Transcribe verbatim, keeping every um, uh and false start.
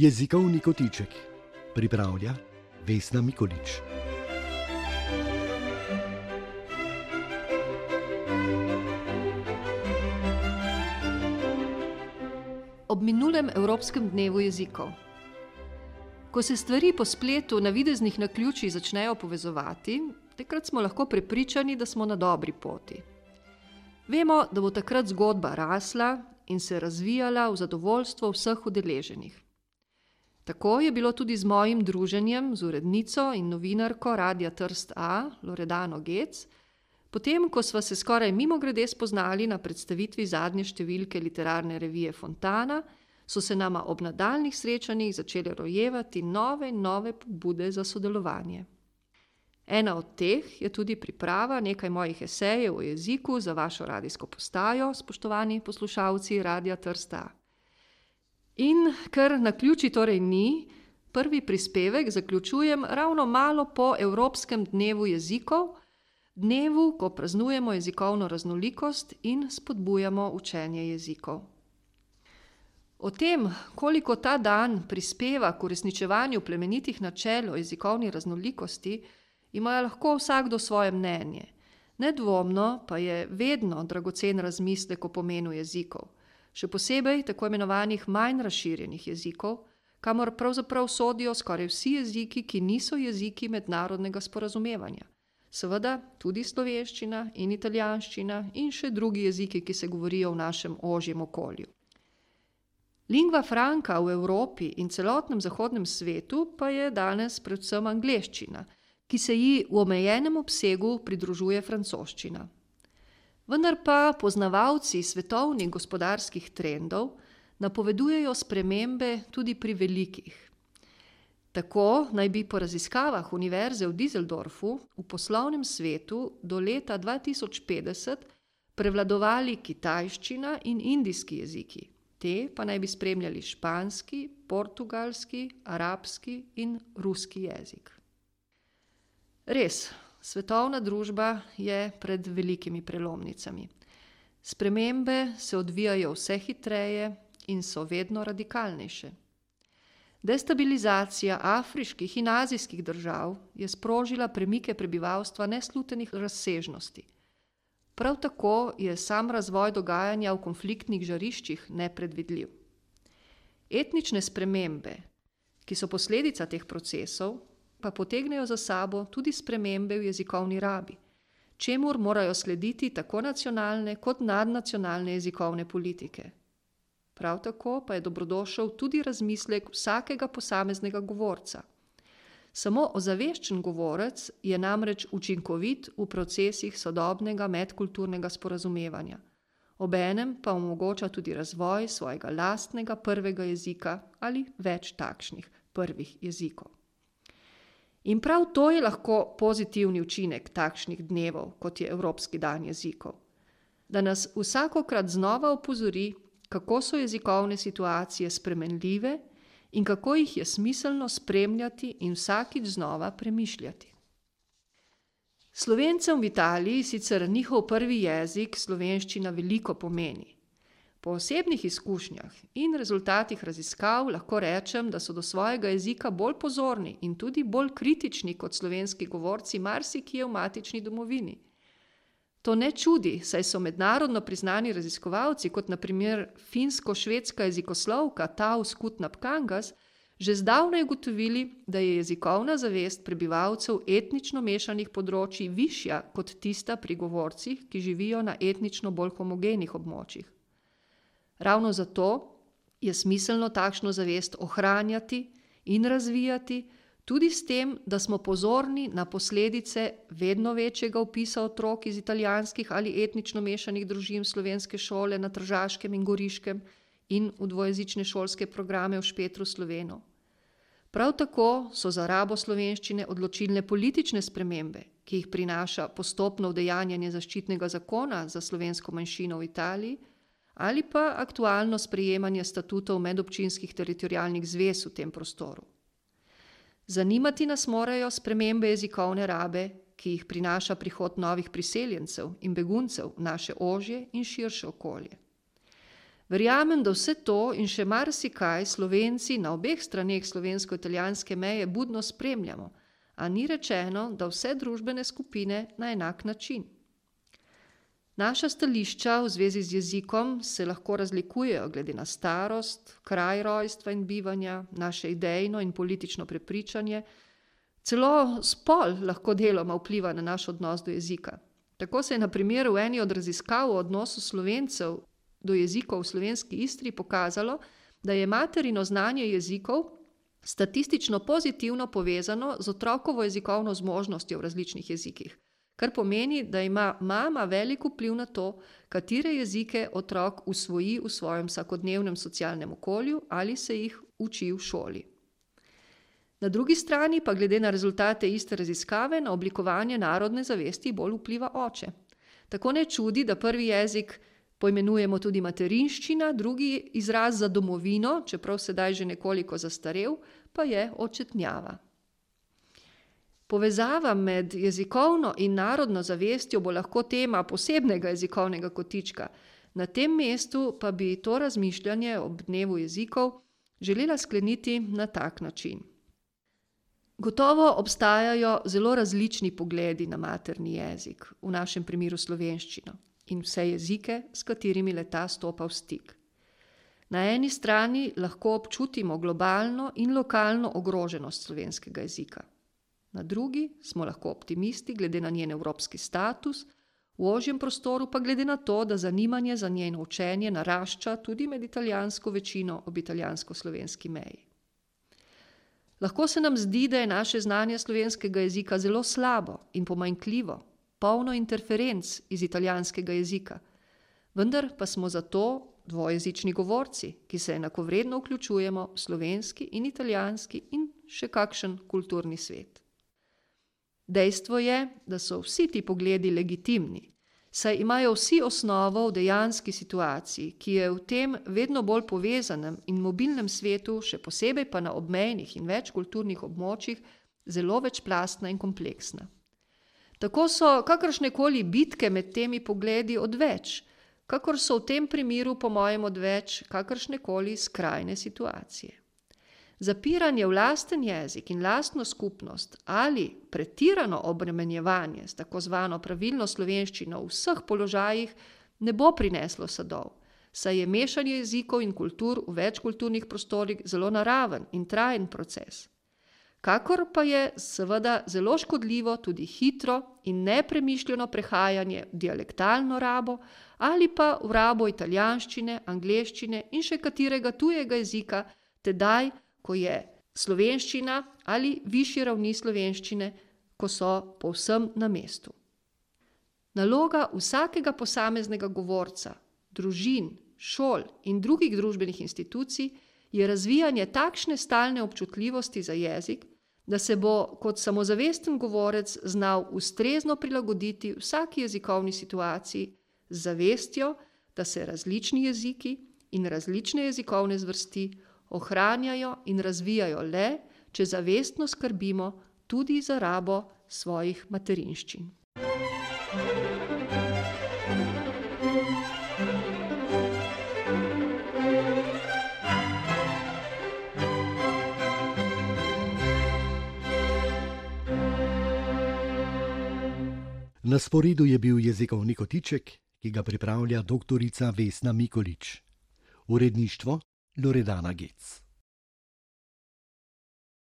Jezikovni kotiček pripravlja Vesna Mikolič. Ob minulem Evropskem dnevu jezikov. Ko se stvari po spletu navideznih naključij začnejo povezovati, takrat smo lahko prepričani, da smo na dobri poti. Vemo, da bo takrat zgodba rasla in se razvijala v zadovoljstvo vseh udeleženih. Tako je bilo tudi z mojim druženjem z urednico in novinarko Radia Trst A, Loredano Gec, potem, ko sva se skoraj mimogrede spoznali na predstavitvi zadnje številke literarne revije Fontana, so se nama ob nadaljnjih srečanjih začele rojevati nove in nove pobude za sodelovanje. Ena od teh je tudi priprava nekaj mojih esejev o jeziku za vašo radijsko postajo, spoštovani poslušalci Radia Trst A. In ker naključij torej ni, prvi prispevek zaključujem ravno malo po Evropskem dnevu jezikov, dnevu, ko praznujemo jezikovno raznolikost in spodbujamo učenje jezikov. O tem, koliko ta dan prispeva k uresničevanju plemenitih načel o jezikovni raznolikosti, ima lahko vsakdo svoje mnenje. Nedvomno pa je vedno dragocen razmislek o pomenu jezikov, še posebej tako imenovanih manj razširjenih jezikov, kamor pravzaprav sodijo skoraj vsi jeziki, ki niso jeziki mednarodnega sporazumevanja. Seveda tudi slovenščina in italijanščina in še drugi jeziki, ki se govorijo v našem ožjem okolju. Lingva franca v Evropi in celotnem zahodnem svetu pa je danes predvsem angleščina, ki se ji v omejenem obsegu pridružuje francoščina. Vendar pa poznavalci svetovnih gospodarskih trendov napovedujejo spremembe tudi pri velikih. Tako naj bi po raziskavah Univerze v Düsseldorfu v poslovnem svetu do leta dva tisoč petdeset prevladovali kitajščina in indijski jeziki. Te pa naj bi spremljali španski, portugalski, arabski in ruski jezik. Res, svetovna družba je pred velikimi prelomnicami. Spremembe se odvijajo vse hitreje in so vedno radikalnejše. Destabilizacija afriških in azijskih držav je sprožila premike prebivalstva neslutenih razsežnosti. Prav tako je sam razvoj dogajanja v konfliktnih žariščih nepredvidljiv. Etnične spremembe, ki so posledica teh procesov, pa potegnejo za sabo tudi spremembe v jezikovni rabi, čemur morajo slediti tako nacionalne kot nadnacionalne jezikovne politike. Prav tako pa je dobrodošel tudi razmislek vsakega posameznega govorca. Samo ozaveščen govorec je namreč učinkovit v procesih sodobnega medkulturnega sporazumevanja, obenem pa omogoča tudi razvoj svojega lastnega prvega jezika ali več takšnih prvih jezikov. In prav to je lahko pozitivni učinek takšnih dnevov, kot je Evropski dan jezikov. Da nas vsakokrat znova opozori, kako so jezikovne situacije spremenljive in kako jih je smiselno spremljati in vsakič znova premišljati. Slovencem v Italiji sicer njihov prvi jezik slovenščina veliko pomeni. Po osebnih izkušnjah in rezultatih raziskav lahko rečem, da so do svojega jezika bolj pozorni in tudi bolj kritični kot slovenski govorci marsikje v matični domovini. To ne čudi, saj so mednarodno priznani raziskovalci, kot na primer finsko-švedska jezikoslovka Taus Kutnap-Kangas, že zdavnaj ugotovili, da je jezikovna zavest prebivalcev etnično mešanih področij višja kot tista pri govorcih, ki živijo na etnično bolj homogenih območjih. Ravno zato je smiselno takšno zavest ohranjati in razvijati, tudi s tem, da smo pozorni na posledice vedno večjega vpisa otrok iz italijanskih ali etnično mešanih družin v slovenske šole na Tržaškem in Goriškem in v dvojezične šolske programe v Špetru Slovenov. Prav tako so za rabo slovenščine odločilne politične spremembe, ki jih prinaša postopno udejanjanje zaščitnega zakona za slovensko manjšino v Italiji, ali pa aktualno sprejemanje statutov medobčinskih teritorialnih zvez v tem prostoru. Zanimati nas morajo spremembe jezikovne rabe, ki jih prinaša prihod novih priseljencev in beguncev v naše ožje in širše okolje. Verjamem, da vse to in še marsikaj Slovenci na obeh straneh slovensko-italijanske meje budno spremljamo, a ni rečeno, da vse družbene skupine na enak način. Naša stališča v zvezi z jezikom se lahko razlikujejo glede na starost, kraj rojstva in bivanja, naše idejno in politično prepričanje, celo spol lahko deloma vpliva na naš odnos do jezika. Tako se je na primer v eni od raziskav o odnosu Slovencev do jezikov v slovenski Istri pokazalo, da je materino znanje jezikov statistično pozitivno povezano z otrokovo jezikovno zmožnostjo v različnih jezikih, kar pomeni, da ima mama velik vpliv na to, katere jezike otrok usvoji v svojem vsakodnevnem socialnem okolju ali se jih uči v šoli. Na drugi strani pa glede na rezultate iste raziskave na oblikovanje narodne zavesti bolj vpliva oče. Tako ne čudi, da prvi jezik poimenujemo tudi materinščina, drugi izraz za domovino, čeprav sedaj že nekoliko zastarel, pa je očetnjava. Povezava med jezikovno in narodno zavestjo bo lahko tema posebnega jezikovnega kotička. Na tem mestu pa bi to razmišljanje ob dnevu jezikov želela skleniti na tak način. Gotovo obstajajo zelo različni pogledi na materni jezik, v našem primeru slovenščino, in vse jezike, s katerimi le-ta stopa v stik. Na eni strani lahko občutimo globalno in lokalno ogroženost slovenskega jezika. Na drugi smo lahko optimisti glede na njen evropski status, v ožjem prostoru pa glede na to, da zanimanje za njeno učenje narašča tudi med italijansko večino ob italijansko-slovenski meji. Lahko se nam zdi, da je naše znanje slovenskega jezika zelo slabo in pomanjkljivo, polno interferenc iz italijanskega jezika, vendar pa smo zato dvojezični govorci, ki se enakovredno vključujemo v slovenski in italijanski in še kakšen kulturni svet. Dejstvo je, da so vsi ti pogledi legitimni, saj imajo vsi osnovo v dejanski situaciji, ki je v tem vedno bolj povezanem in mobilnem svetu, še posebej pa na obmejnih in večkulturnih območjih, zelo večplastna in kompleksna. Tako so kakršnekoli bitke med temi pogledi odveč, kakor so v tem primeru po mojem odveč kakršnekoli skrajne situacije. Zapiranje v lasten jezik in lastno skupnost ali pretirano obremenjevanje s tako zvano pravilno slovenščino v vseh položajih ne bo prineslo sadov, saj je mešanje jezikov in kultur v večkulturnih prostorih zelo naraven in trajen proces. Kakor pa je seveda zelo škodljivo tudi hitro in nepremišljeno prehajanje v dialektalno rabo ali pa v rabo italijanščine, angleščine in še katerega tujega jezika, tedaj, ko je slovenščina ali višje ravni slovenščine, ko so povsem na mestu. Naloga vsakega posameznega govorca, družin, šol in drugih družbenih institucij je razvijanje takšne stalne občutljivosti za jezik, da se bo kot samozavesten govorec znal ustrezno prilagoditi vsaki jezikovni situaciji z zavestjo, da se različni jeziki in različne jezikovne zvrsti ohranjajo in razvijajo le, če zavestno skrbimo tudi za rabo svojih materinščin. Na sporedu je bil jezikovni kotiček, ki ga pripravlja doktorica Vesna Mikolič. Uredništvo Loredana Gec.